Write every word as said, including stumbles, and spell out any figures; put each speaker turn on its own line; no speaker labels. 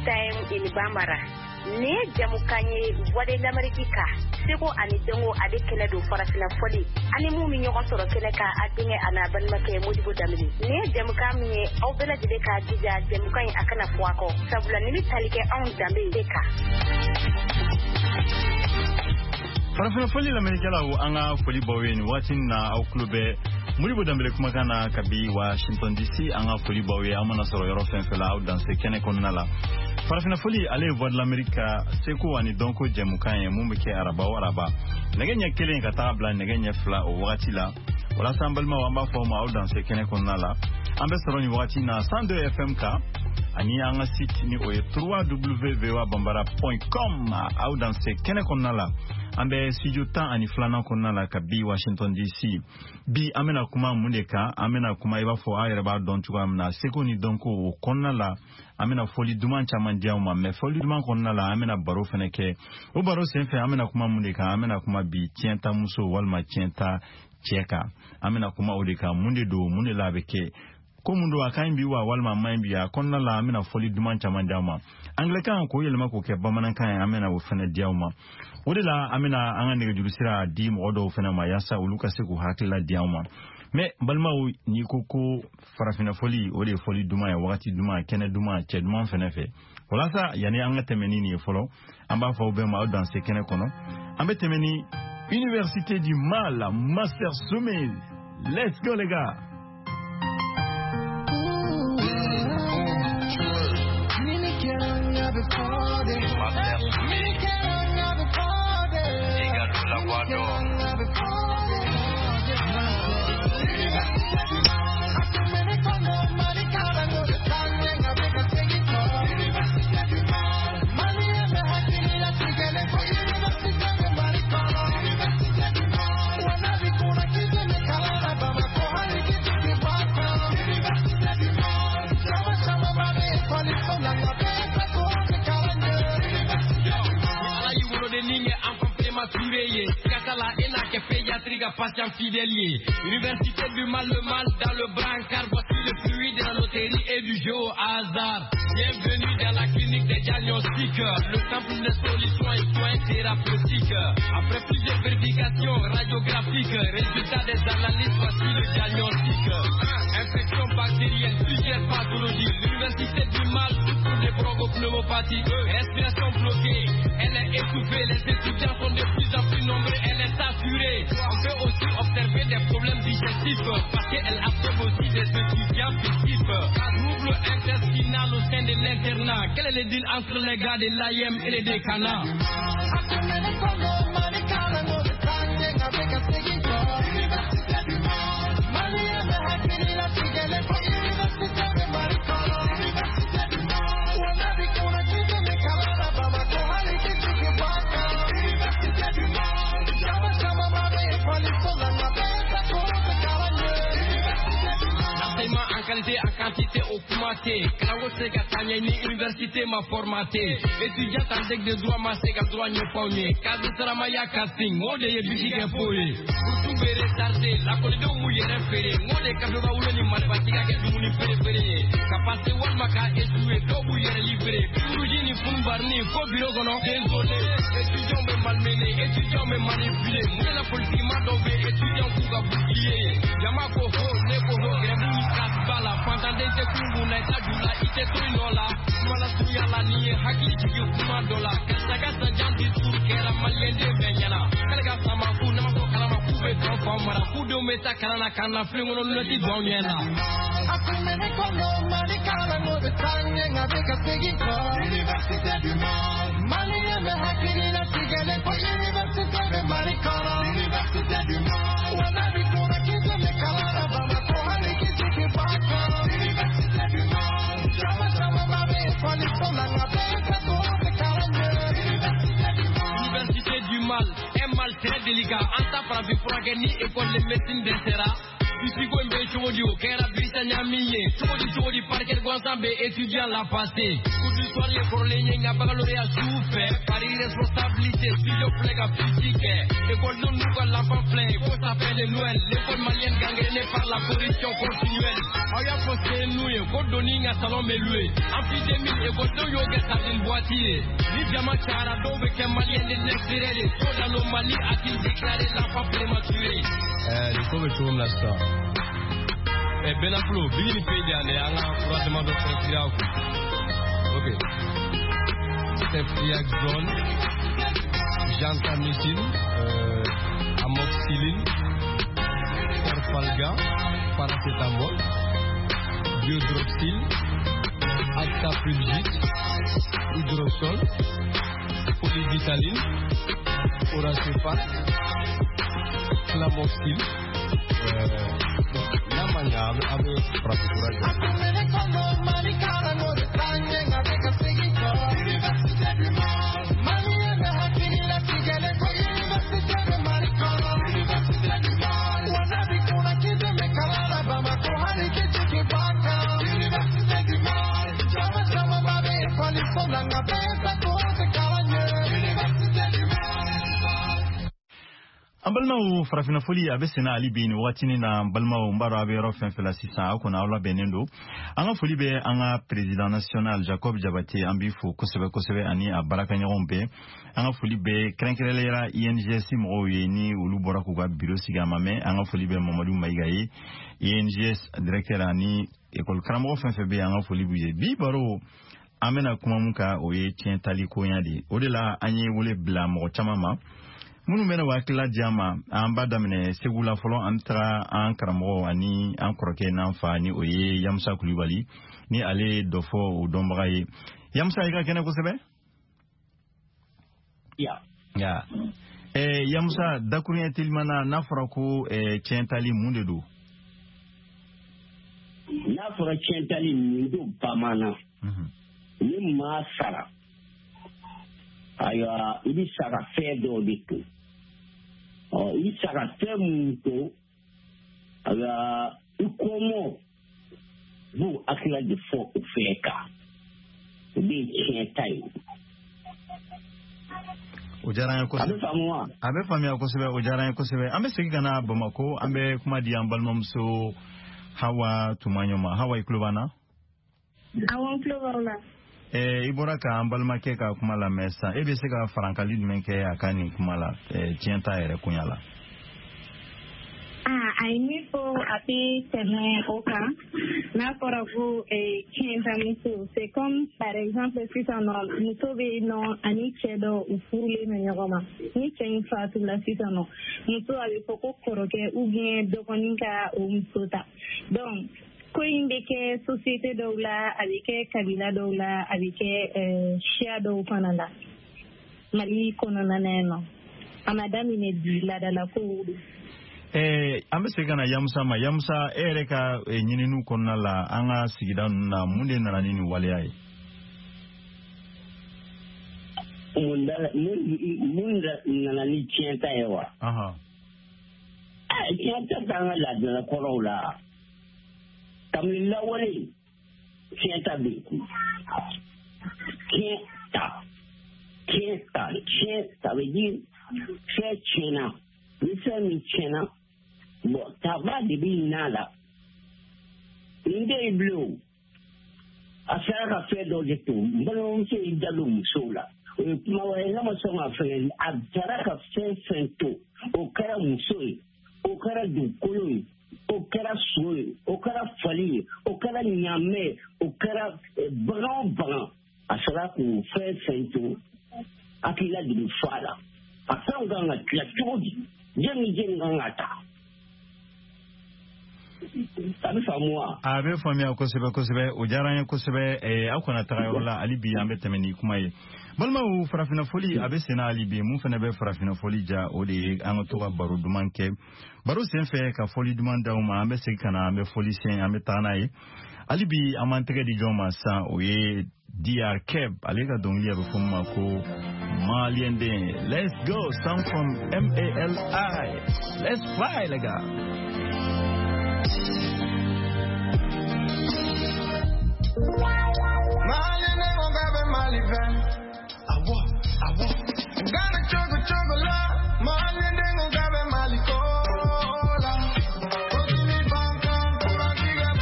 Time in Bambara. Nin ye jamukan ye Voix de l'Amérique kan, seko ani dɔnko ale kɛnɛ don farafinna fɔli ani mun bɛ ɲɔgɔn sɔrɔ kɛnɛ kan, a denkɛ a n'a balimakɛ Modibo Danbele. Nin ye jamukan min ye, aw bɛɛ lajɛlen k'a jija jamukan in a kana fɔ a kɔ, sabula nin bɛ tali kɛ anw danbe de kan.
Farafinna fɔli lamɛnnikɛlaw, an ka foli b'aw ye nin waati in na. Aw tulo bɛ Modibo Danbele kumakan na kabi Washington D C. An ka foli b'aw ye, aw mana sɔrɔ yɔrɔ fɛn fɛn la, aw danse kɛnɛ kɔnɔna la. Farafinna fɔli, ale ye Voix de l'Amérique ka seko ani dɔnko jɛmukan ye mun bɛ kɛ araba o araba, nɛgɛ ɲɛ kelen ka taga bila nɛgɛ ɲɛ fila o wagati la. Walasa an balimaw, an b'a fɔ aw ma, aw danse kɛnɛ kɔnɔna la. An bɛ sɔrɔ nin wagati na cent deux F M kan ani an ka site ni o ye w w w point voa bambara point com. Aw danse kɛnɛ kɔnɔna la. An bɛ studio tan ani filanan kɔnɔna la ka bi Washington D C. Bi, an bɛna kuma mun de kan? An bɛna kuma, i b'a fɔ aw yɛrɛ b'a dɔn cogoya min na, seko ni dɔnko o kɔnɔna la. An bɛna fɔli duman caman di aw ma, mɛ fɔli duman kɔnɔna la, an bɛna baro fɛnɛ kɛ. O baro senfɛ, an bɛna kuma mun de kan? An bɛna kuma bi tiɲɛta muso walima tiɲɛta cɛ kan. An bɛna kuma o de kan. Mun de don? Mun de la a bɛ kɛ? Ko mun don? A ka ɲi bi wa, walima a man ɲi bi? A kɔnɔna la, an bɛna fɔli duman caman di aw ma. Angilɛkan k'o yɛlɛma k'o kɛ bamanankan ye, an bɛna o fɛnɛ di aw ma. O de la, an bɛna an ka nɛgɛjuru sira di mɔgɔ dɔw fɛnɛ ma, yaasa olu ka se k'u hakilila di aw ma. Mɛ balimaw, n'i ko ko farafinna fɔli, o de ye fɔli duman ye, wagati duman, kɛnɛ duman, cɛ duman fɛnɛ fɛ. Walasa yanni an ka tɛmɛ ni nin ye fɔlɔ, an b'a fɔ aw bɛɛ ma, aw danse kɛnɛ kɔnɔ. An bɛ tɛmɛ ni Université du Mal, Master Sommet. Let's go les gars.
Master Sommet, Igalo la voix d'or.
Ala y'i woloden kɛ enfant prématuré ye, kasa la e n'a kɛ pédiatrie ka patient fidèle ye. Université du mal, le mal dans le brancard, voici le fruit de la loterie et du jeu au hasard. Bienvenue dans la clinique des diagnostics, le temple des solutions et soins thérapeutiques. Après plusieurs vérifications radiographiques, résultat des analyses, voici le diagnostic. Un, infection bactérienne, plusieurs pathologies. L'université du mal souffre de bronchopneumopathie. Respiration bloquée, elle est étouffée. Les étudiants sont de plus en plus nombreux, elle est saturée. On peut aussi observer des problèmes digestifs parce qu'elle absorbe aussi des étudiants fictifs. Trouble intestinal au sein de l'internat. Quel est le deal entre les gars de l'A E M et les décanats? L'enseignement en qualité, en quantité o kuma tɛ. Kalanko tɛ se ka taa ɲɛ ni université ma formaté. Étudiant en deck de droit ma se ka droit ɲɛfɔ aw ye. Cadre saramaya casting, o de ye bisi kɛ fo ye. Bourse bɛ retardé, lakɔlidenw b'u yɛrɛ feere. N ko de kafe wolo ni marifatigi ka kɛ dumuni feere-feere ye. Ka passer walima ka échouer, dɔw b'u yɛrɛ libéré. Puruji ni funbarni fo bureau kɔnɔ. Désolé, étudiants bɛ malmené, étudiants bɛ manipulé. Mun de la politique ma dɔw bɛ étudiants k'u ka bouclier ye? Jama ko ho, ne ko ho, grève ni casse ba la. Fantanden tɛ kun kun na, i t'a ju la, i tɛ to i nɔ la. Kuma lasurunya la, nin ye hakili jigin kuma dɔ la. Karisa ka sanjan discours kɛra maliyɛnden bɛɛ ɲɛna. K'ale ka sama k'u n'a ma bɔ kalama k'u bɛ tɔn faw mara. K'u denw bɛ taa kalan na ka na filen kɔnɔ lunette don anw ɲɛ na.
Université du Mal, Malien bɛ hakili latigɛlen ko université bɛ Mali kɔnɔ. Université du Mal, wa n'a b'i kunna k'i tɛ kalan na Bamakɔ, hali k'i jigin b'a kɔnɔ. Université du Mal, caman camanba bɛ ekɔliso la, nka bɛɛ tɛ ko tɛ kalan ɲɛ. Université du Mal.
Université du mal, un mal très délicat. An ta farafin furakɛ ni école de médecine dɛsɛra. Bisi ko in bɛ cogo di? O kɛra Birisa ɲami ye cogo di? Cogo di parquet gansan bɛ étudiant la passé? Cours du soir ye kɔrɔlen ye, nka baccalauréat su fɛ. Par irresponsabilité, studio filɛ ka fuite kɛ. École n'u ka l'enfant filɛ ko ça fait de Noël. L'école malienne gangrénée par la corruption continuelle. Aw y'a fɔ C N U ye ko donni n ka salon bɛ loué. Amphi deux mille ekɔlidenw y'o kɛ sardine boîte ye. Ni jama cayara dɔw bɛ kɛ maliyɛn de l'extérieur ye. Taux d'anomalie a-t-il déclaré l'enfant prématuré? Ɛɛ nin ko bɛ cogo min na sisan. Ɛ Benafulo, bigi ni pe di yan dɛ, an ka fura damadɔ prescrire aw kun. Ok. Ceftriaxone, gentamicine, euh, amoxicilline, Perfalgan, paracétamol, biodroxyl, actapulgite, hydrosol, polyvitaline, oracéphate, clamoxyl. Euh, n'a ma ɲa a bɛ a bɛ farafinfura jɔ.
An balimaw, farafinna foli a bɛ senna hali bi nin wagatinin na. N balimaw, n b'a dɔn a bɛ yɔrɔ fɛn fɛn la sisan, aw kɔni aw labɛnnen don. An ka foli bɛ an ka président national Jacob Jabate, an b'i fo kosɛbɛ kosɛbɛ, ani a baarakɛɲɔgɔnw bɛɛ. An ka foli bɛ kɛrɛnkɛrɛnnenya la I N G S mɔgɔw ye, ni olu bɔra k'u ka bureau sigi a ma mɛn. An ka foli bɛ Mamadu Mayiga ye, I N G S directeur, ani école karamɔgɔ fɛn fɛn bɛ yen, an ka foli b'u ye. Bi baro an bɛna kuma mun kan, o ye tiɲɛ tali koɲa de ye. O de la an ye wele bila mɔgɔ caman ma minnu bɛna hakilila di an ma. An b'a daminɛ Segu la fɔlɔ, an bɛ taga an karamɔgɔ ani an kɔrɔkɛ n'an fa, ni o ye Yamusa Kulibali, ni ale ye dɔ fɔ o dɔnbaga ye. Yamusa, i ka kɛnɛ kosɛbɛ.
Ya.
Ya. Eh, Yamusa, dakuruɲɛ teliman na, n'a fɔra ko eh, tiɲɛ tali, mun de don?
N'a fɔra tiɲɛ tali, mun don bamanan? Ni maa sara, ayiwa, i bɛ sa ka fɛn dɔw de to. Ɔ, i bɛ sa ka fɛn mun to, ayiwa, i kɔmɔ b'o hakilila de fɔ o fɛn kan. O de ye tiɲɛ ta ye.
O diyara an ye kosɛbɛ.
A bɛ faamu wa?
A bɛ faamuya kosɛbɛ, o diyara an ye kosɛbɛ. An bɛ segin ka na Bamakɔ, an bɛ kuma di an balimamuso Hawa Tumaɲɔ ma. Hawa, i tulo b'an na?
Awɔ, n tulo b'aw la.
Eh, i bɔra k'an balimakɛ ka kuma lamɛn sisan, e bɛ se ka farankali jumɛn kɛ a ka nin kuma la, tiɲɛ ta yɛrɛ koɲa la?
Ah, a ye min fɔ, a tɛ tɛmɛ o kan. N'a fɔra ko tiɲɛ ta muso, c'est comme par exemple sisan nɔ, muso bɛ yen nɔ ani cɛ dɔ, u furulen bɛ ɲɔgɔn ma. Ni cɛ in fatula sisan nɔ, muso a bɛ fɔ ko kɔrɔkɛ ou bien dɔgɔnin ka o muso ta. Donc ko in bɛ kɛ société dɔw la, a bɛ kɛ kabila dɔw la, a bɛ kɛ siya dɔw fana la Mali kɔnɔna na yen nɔ. A ma daminɛ bi, laadalakow don.
Eh, an bɛ segin ka na Yamusa ma. Yamusa, e yɛrɛ ka ɲininiw kɔnɔna la, an ka sigida ninnu na, mun de nana ni nin waleya ye?
Mun nana ni tiɲɛ ta ye wa? Tiɲɛ ta t'an ka laadalakɔrɔw la. Kabini lawale, tiɲɛ ta bɛ yen. Tiɲɛ ta, tiɲɛ ta, tiɲɛ ta bɛ di fɛn tiɲɛna. Ni fɛn min tiɲɛna, bɔn, taba de bɛ ɲin'a la. Nin tɛ yen bilen o. A sera ka fɛn dɔ de to. N balimamuso y'i da don musow la. O ye kuma wɛrɛ ye, n'a ma sɔn ka fɛn, a taara ka fɛn fɛn to, o kɛra muso ye, o kɛra dugukolo ye, o kɛra so ye, o kɛra fali ye, o kɛra ɲaamɛ ye, o kɛra bagan o bagan, a sera k'o fɛn fɛn to, hakilila de bɛ fɔ a la. A fɛnw kan ka tila cogo di? Jɛn ni jɛn kan ka ta. A bɛ faamu wa?
A bɛ faamuya kosɛbɛ kosɛbɛ, o diyara an ye kosɛbɛ. Aw kana taga yɔrɔ la hali bi, an bɛ tɛmɛ ni kuma ye. Balimaw, farafinna foli a bɛ senna hali bi. Mun fana bɛ farafinna foli ja, o de ye an ka to ka baro duman kɛ. Baro sen fɛ ka foli duman d'aw ma, an bɛ segin ka na, an bɛ foli sen, an bɛ taa n'a ye. Hali bi an b'an tɛgɛ di jɔn ma sisan, o ye D R Keb, ale ka dɔnkili a bɛ fɔ min ma ko Malien den. Let's go, sound from M A L I. Let's fly, les gars.